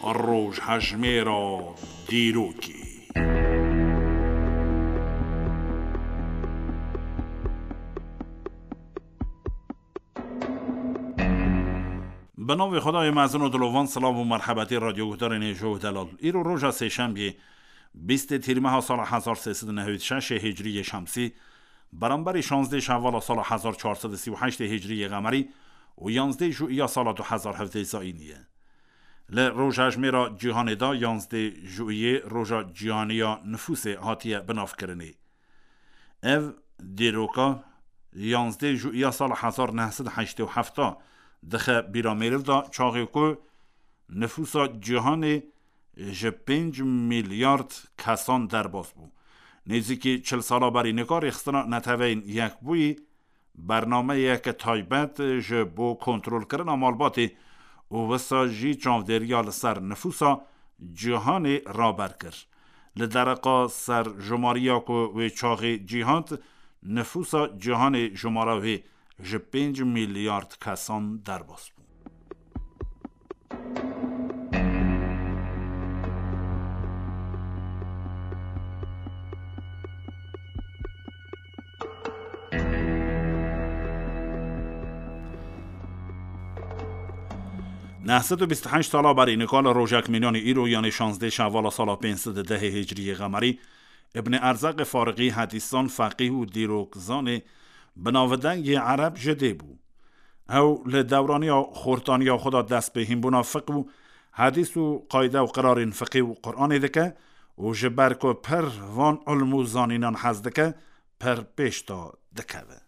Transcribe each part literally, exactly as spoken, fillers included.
Rojhejmêra dîrokê. Bi navê Xwedayê mezin û dilovan, silav û merhebetî radyoguhdarên hêja û delal. Îro roja sêşembiyê, bîstê tîrmeha sala hezar sê sed û newêd şeş ê hicriyê şemsî, beramberî şazdê şevala sala hezar çar sed û sî û heşt ê hicriyê qemerî û yanzdê juiya sala du hezar hevdeh zayînî ye. Li rojhejmêra cîhanê de yanzdê juiyê roja cîhaniya nifûsê hatiye binavkirinê. Ev dîroka yanzdê juiya sala hezar neh sed heştê û heft dixe bîra mêriv de, çaxê ku nifûsa cîhanê ji pênc milyard kesan derbas bû. Nêzîkî çil sala berî nika Rêxistina Neteweyên Yekbûyî bernameyeke taybet ji bo kontrolkirina malbatê û wisa jî çavdêriya li ser nifûsa cîhanê raber kir. Li dereqa ser jumariya ku wê çaxê cî hat, nifûsa cîhanê jumara wê ji pênc milyard kesan derbas bû. Neh sed û bîst û heşt sala berî nika li rojek mînanî îro, yanê şazdê şevala sala pênc sed û dehê hicriyê qemerî, Ibn Erzaqê Fariqî hedîsan, feqîh û dîrokzanê binavdengê ereb ji dê bû. Ew li dewraniya xortaniya xwe de dest bi hînbûna fiqh û hedîs û qayde û qirarên fiqhî û Quranê dike û ji ber ku pir van ilm û zanînan hez dike, pir pêş de dikeve.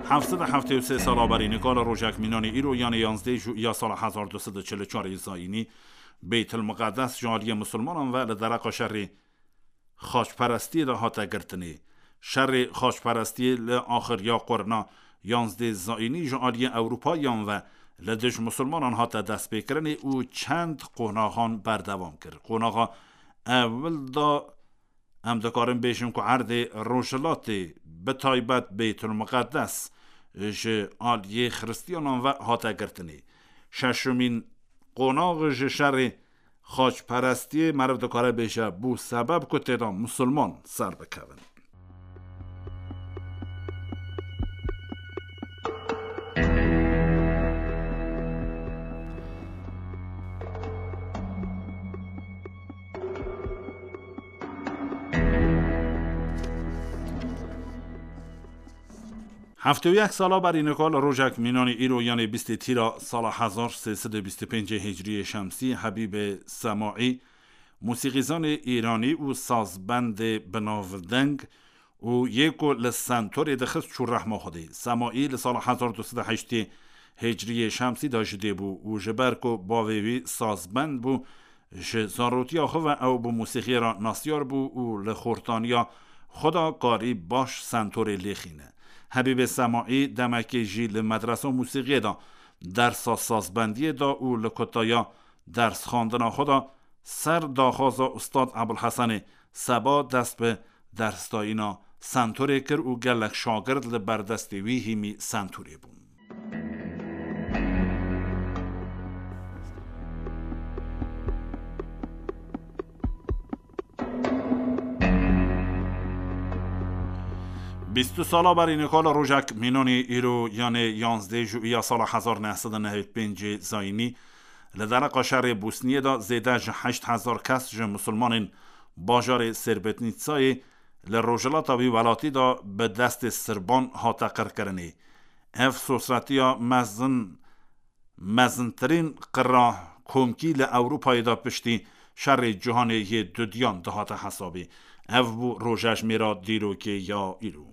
Heft sed û heftê û sê sala berî nika li rojek mînanî îro, yanê yanzdê juiya sala hezar du sed û çil û çar zayînî, Beytil Miqedes ji aliyê misilmanan ve li dereqa şerê xaçperestiyê de hate girtinê. Şerê xaçperestiyê li axiriya qurna yanzdê zayînî ji aliyê Ewropayiyan ve li dij misilmanan hate destpêkirinê û çend qonaxan berdewam kir. Qonaxa ewil de em dikarin bêjin ku erdê rojhilatê, bi taybet Beytul Miqedes, ji aliyê xiristiyanan ve hate girtinê. Şeşemîn qonax ji şerê xaçperestiyê meriv dikare bêje, bû sebeb ku tê de misilman ser bikevin. Heftê û yek sala berî nika li rojek mînanî îro, yanê bîstê tîra sala hezar sê sed û bîst û pêncê hicriyê şemsî, Hebîbê Semaî, musîqîzanê îranî û sazbendê binavdeng û yê ku li sentorê dixist, çû rehma Xwedê. Semaî li sala hezar du sed û heştê hicriyê şemsî de ji dê bû û ji ber ku bavê wî sazbend bû, ji zarotiya xwe ve ew bi musîxiyê re nasyar bû û li xortaniya xwe de karî baş sentorê lêxîne. Hebîbê Semaî demekê jî li medresa musîxiyê de dersa sazbendiyê da û li kutaya dersxandina xwe de ser daxwaza Ustad Ebulhesenê Seba dest bi dersdayîna sentorê kir û gelek şagird li ber destê wî hîmî sentorê bûn. Bîst û sala berî nika li rojek mînanî îro, yanê yanzdê juiya sala hezar neh sed û nehê û pêncê zayînî, li dereqa şerê Bosniyê de zêde ji heşt hezar kes ji misilmanên bajarê Sêrbetnîtsayê li rojhilata wî welatî de bi destê sirban hate qirkirinê. Ev sosretiya mezin, mezintirîn qira komkî li Ewropayê de piştî şerê cîhanê yê dudiyan dihate hesabê. Ev bû rojejmêra dîrokê ya îro.